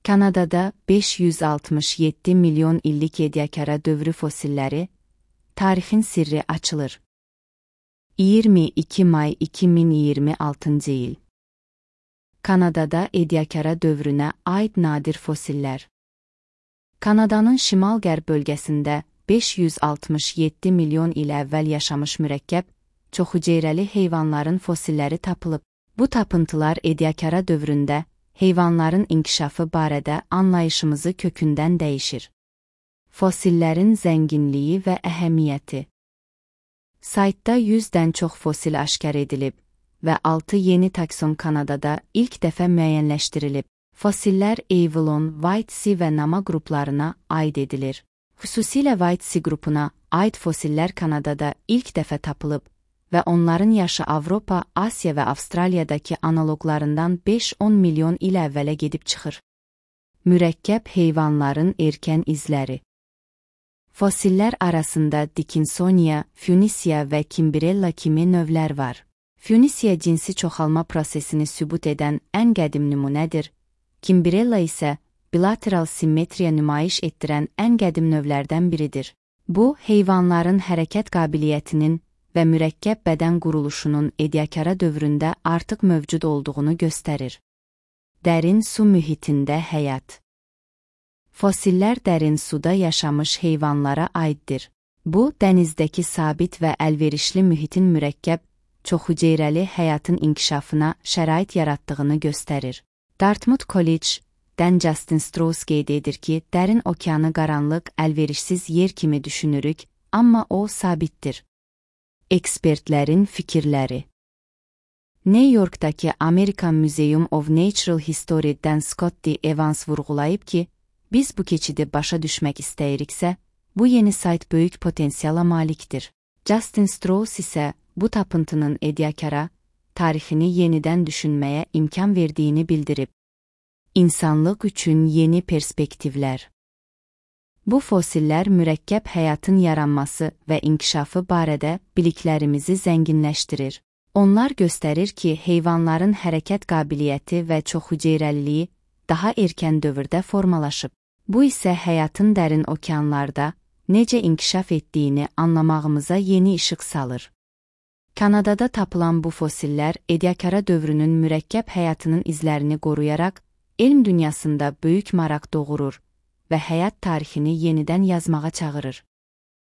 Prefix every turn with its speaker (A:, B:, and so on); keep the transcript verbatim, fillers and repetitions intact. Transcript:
A: Kanadada beş yüz altmış yeddi milyon illik Ediacara dövrü fosilləri, tarixin sirri açılır. iyirmi iki may iki min iyirmi altıncı il. Kanadada Ediacara dövrünə aid nadir fosillər. Kanadanın şimal-qərb bölgəsində beş yüz altmış yeddi milyon il əvvəl yaşamış mürəkkəb, çoxhüceyrəli heyvanların fosilləri tapılıb. Bu tapıntılar Ediacara dövründə heyvanların inkişafı barədə anlayışımızı kökündən dəyişir. Fosillərin zənginliyi və əhəmiyyəti. Saytda yüzdən çox fosil aşkar edilib və altı yeni takson Kanadada ilk dəfə müəyyənləşdirilib. Fosillər Avalon, Whitesea və Nama qruplarına aid edilir. Xüsusilə Whitesea qrupuna aid fosillər Kanadada ilk dəfə tapılıb və onların yaşı Avropa, Asiya və Avstraliyadakı analoqlarından beş on milyon il əvvələ gedib çıxır. Mürəkkəb heyvanların erkən izləri. Fosillər arasında Dickinsonia, Funisia və Kimbrella kimi növlər var. Funisia cinsi çoxalma prosesini sübut edən ən qədim nümunədir. Kimbrella isə bilateral simmetriya nümayiş etdirən ən qədim növlərdən biridir. Bu, heyvanların hərəkət qabiliyyətinin və mürəkkəb bədən quruluşunun Ediacara dövründə artıq mövcud olduğunu göstərir. Dərin su mühitində həyat. Fosillər dərin suda yaşamış heyvanlara aiddir. Bu, dənizdəki sabit və əlverişli mühitin mürəkkəb, çoxhüceyrəli həyatın inkişafına şərait yaratdığını göstərir. Dartmouth College-dən Justin Strauss qeyd edir ki, dərin okeanı qaranlıq, əlverişsiz yer kimi düşünürük, amma o sabitdir. Ekspertlərin fikirləri. New Yorkdakı American Museum of Natural History-dən Scott D. Evans vurğulayıb ki, biz bu keçidi başa düşmək istəyiriksə, bu yeni sayt böyük potensiala malikdir. Justin Strauss isə bu tapıntının Ediacara tarixini yenidən düşünməyə imkan verdiyini bildirib. İnsanlıq üçün yeni perspektivlər. Bu fosillər mürəkkəb həyatın yaranması və inkişafı barədə biliklərimizi zənginləşdirir. Onlar göstərir ki, heyvanların hərəkət qabiliyyəti və çoxhüceyrəliliyi daha erkən dövrdə formalaşıb. Bu isə həyatın dərin okeanlarda necə inkişaf etdiyini anlamağımıza yeni işıq salır. Kanadada tapılan bu fosillər Ediacara dövrünün mürəkkəb həyatının izlərini qoruyaraq, elm dünyasında böyük maraq doğurur və həyat tarixini yenidən yazmağa çağırır.